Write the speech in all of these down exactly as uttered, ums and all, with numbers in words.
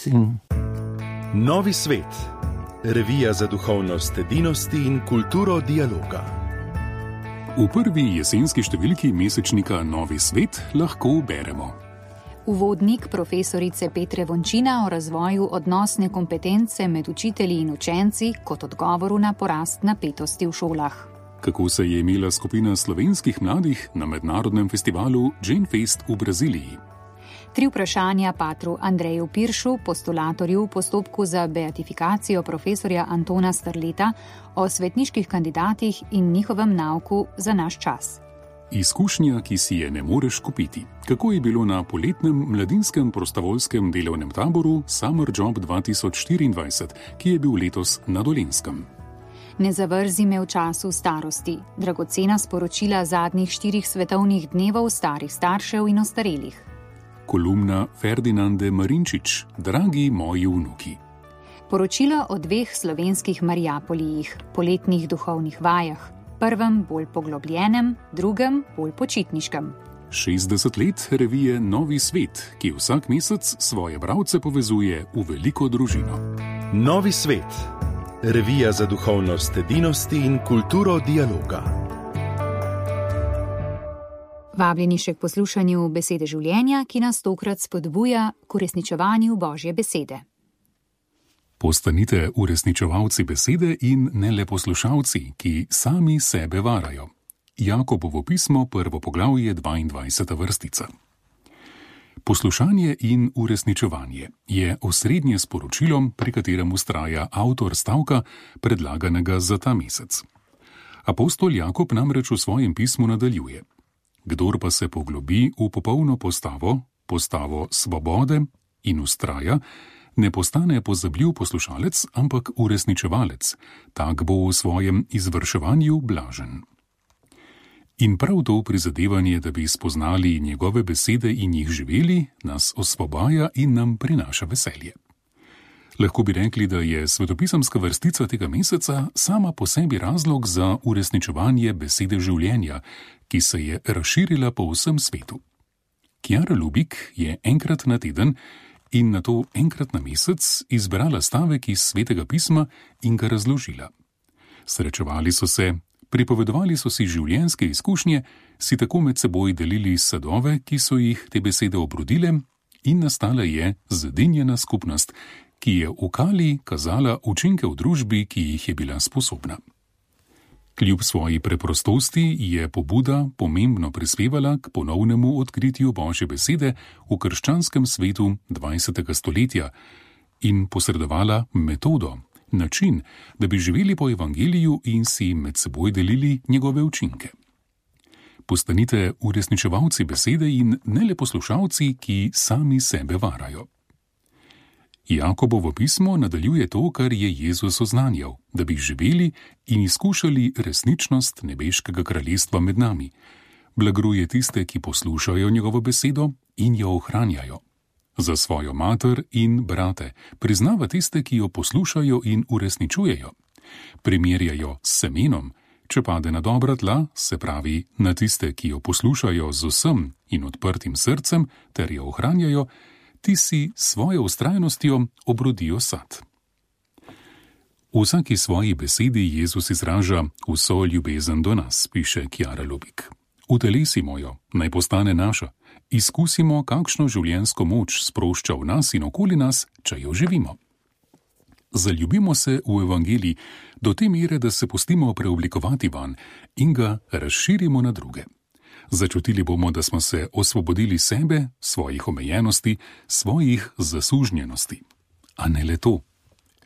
In... Novi svet. Revija za duhovnost edinosti in kulturo dialoga. V prvi jesenski številki mesečnika Novi svet lahko beremo. Uvodnik profesorice Petre Vončina o razvoju odnosne kompetence med učitelji in učenci kot odgovoru na porast napetosti v šolah. Kako se je imela skupina slovenskih mladih na mednarodnem festivalu Jane Fest v Braziliji. Tri vprašanja patru Andreju Piršu, postulatorju v postopku za beatifikacijo profesorja Antona Strleta o svetniških kandidatih in njihovem nauku za naš čas. Izkušnja, ki si je ne moreš kupiti. Kako je bilo na poletnem mladinskem prostovoljskem delovnem taboru Summer Job dva tisoč štiriindvajset, ki je bil letos na Dolenjskem. Ne zavrzi me v času starosti. Dragocena sporočila zadnjih štirih svetovnih dnevov starih staršev in ostarelih. Kolumna Ferdinande Marinčič, dragi moji vnuki. Poročilo o dveh slovenskih Marijapolijih, poletnih duhovnih vajah, prvem bolj poglobljenem, drugem bolj počitniškem. šestdeset let revije Novi svet, ki vsak mesec svoje bralce povezuje v veliko družino. Novi svet. Revija za duhovnost edinosti in kulturo dialoga. Vabljeni še k poslušanju besede življenja, ki nas tokrat spodbuja k uresničevanju Božje besede. Postanite uresničevalci besede in ne le poslušalci, ki sami sebe varajo. Jakobovo pismo, prvo poglavje, dvaindvajseta vrstica. Poslušanje in uresničevanje je osrednje sporočilo, pri katerem vztraja avtor stavka, predlaganega za ta mesec. Apostol Jakob namreč v svojem pismu nadaljuje: Kdor pa se poglobi v popolno postavo, postavo svobode in vztraja, ne postane pozabljiv poslušalec, ampak uresničevalec, tak bo v svojem izvrševanju blažen. In prav to prizadevanje, da bi spoznali njegove besede in jih živeli, nas osvobaja in nam prinaša veselje. Lahko bi rekli, da je svetopisemska vrstica tega meseca sama po sebi razlog za uresničevanje besede življenja, ki se je razširila po vsem svetu. Kjara Lubik je enkrat na teden in nato enkrat na mesec izbrala stavek iz svetega pisma in ga razložila. Srečevali so se, pripovedovali so si življenjske izkušnje, si tako med seboj delili sadove, ki so jih te besede obrodile, in nastala je zedinjena skupnost, ki je v kali kazala učinke v družbi, ki jih je bila sposobna. Kljub svoji preprostosti je pobuda pomembno prispevala k ponovnemu odkritju Božje besede v krščanskem svetu dvajsetega stoletja in posredovala metodo, način, da bi živeli po evangeliju in si med seboj delili njegove učinke. Postanite uresničevalci besede in ne le poslušalci, ki sami sebe varajo. Jakobovo pismo nadaljuje to, kar je Jezus oznanjal, da bi živeli in izkušali resničnost nebeškega kraljestva med nami. Blagruje tiste, ki poslušajo njegovo besedo in jo ohranjajo. Za svojo mater in brate priznava tiste, ki jo poslušajo in uresničujejo. Primerjajo s semenom, če pade na dobra tla, se pravi na tiste, ki jo poslušajo z vsem in odprtim srcem ter jo ohranjajo, ti si svojo vztrajnostjo obrodijo sad. V vsaki svoji besedi Jezus izraža vso ljubezen do nas, piše Kjara Lubik. Utelesimo jo, naj postane naša. Izkusimo, kakšno življenjsko moč sprošča v nas in okoli nas, če jo živimo. Zaljubimo se v evangelij do te mere, da se pustimo preoblikovati van in ga razširimo na druge. Začutili bomo, da smo se osvobodili sebe, svojih omejenosti, svojih zasužnjenosti. A ne le to.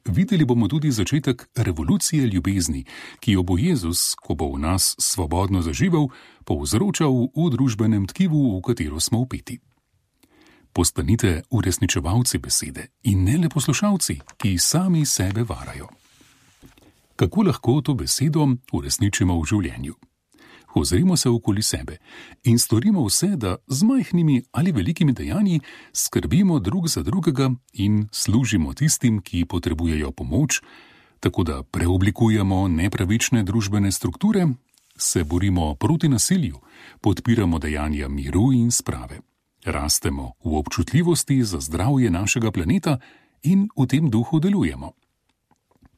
Videli bomo tudi začetek revolucije ljubezni, ki jo bo Jezus, ko bo v nas svobodno zaživel, povzročal v družbenem tkivu, v katero smo vpeti. Postanite uresničevalci besede in ne le poslušalci, ki sami sebe varajo. Kako lahko to besedo uresničimo v življenju? Ozrimo se okoli sebe in storimo vse, da z majhnimi ali velikimi dejanji skrbimo drug za drugega in služimo tistim, ki potrebujejo pomoč, tako da preoblikujemo nepravične družbene strukture, se borimo proti nasilju, podpiramo dejanja miru in sprave, rastemo v občutljivosti za zdravje našega planeta in v tem duhu delujemo.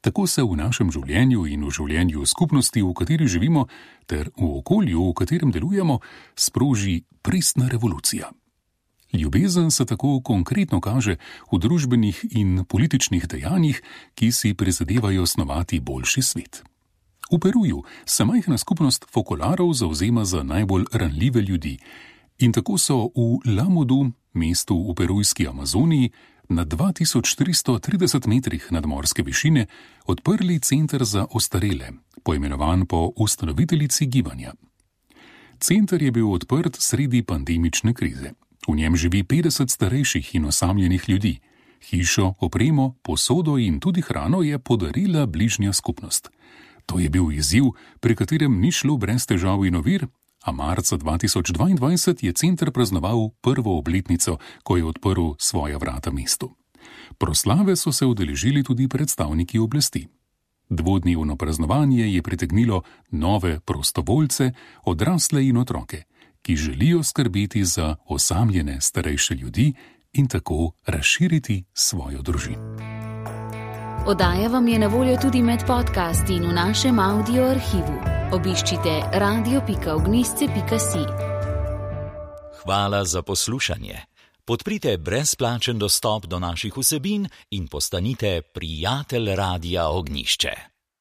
Tako se v našem življenju in v življenju skupnosti, v kateri živimo, ter v okolju, v katerem delujemo, sproži pristna revolucija. Ljubezen se tako konkretno kaže v družbenih in političnih dejanjih, ki si prizadevajo snovati boljši svet. V Peruju se majhna skupnost fokolarov zavzema za najbolj ranljive ljudi in tako so v Lamodu, mestu v perujski Amazoniji, na dva tisoč tristo trideset metrih nadmorske višine odprli center za ostarele, poimenovan po ustanoviteljici gibanja. Center je bil odprt sredi pandemične krize. V njem živi petdeset starejših in osamljenih ljudi. Hišo, opremo, posodo in tudi hrano je podarila bližnja skupnost. To je bil izziv, pri katerem ni šlo brez težav in ovir, a marca dva tisoč dvaindvajset je center praznoval prvo obletnico, ko je odprl svoja vrata mestu. Proslave so se udeležili tudi predstavniki oblasti. Dvodnevno praznovanje je pritegnilo nove prostovoljce, odrasle in otroke, ki želijo skrbeti za osamljene starejše ljudi in tako razširiti svojo družino. Oddaja vam je na voljo tudi med podcasti in v našem audio arhivu. Obiščite radio pika ognjišče pika si. Hvala za poslušanje. Podprite brezplačen dostop do naših vsebin in postanite prijatelj Radia Ognjišče.